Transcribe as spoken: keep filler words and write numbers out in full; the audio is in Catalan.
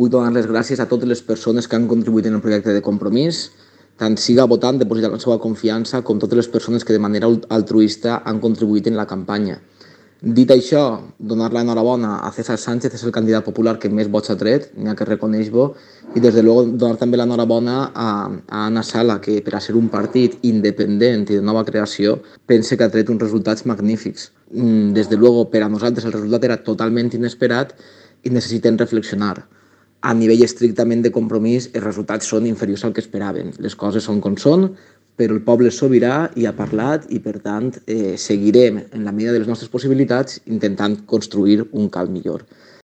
vull donar les gràcies a totes les persones que han contribuït en el projecte de Compromís, tant siga votant, depositant la seva confiança, com totes les persones que de manera altruista han contribuït en la campanya. Dit això, donar l'enhorabona a César Sánchez, és el candidat popular que més vots ha tret, n'hi ha que reconeix-ho, i des de luego donar també l'enhorabona a, a Anna Sala, que per a ser un partit independent i de nova creació, pense que ha tret uns resultats magnífics. Des de luego, per a nosaltres el resultat era totalment inesperat i necessitem reflexionar. A nivell estrictament de Compromís, els resultats són inferiors al que esperaven. Les coses són com són, però el poble és sobirà i ha parlat i, per tant, eh, seguirem, en la medida de les nostres possibilitats, intentant construir un cal millor.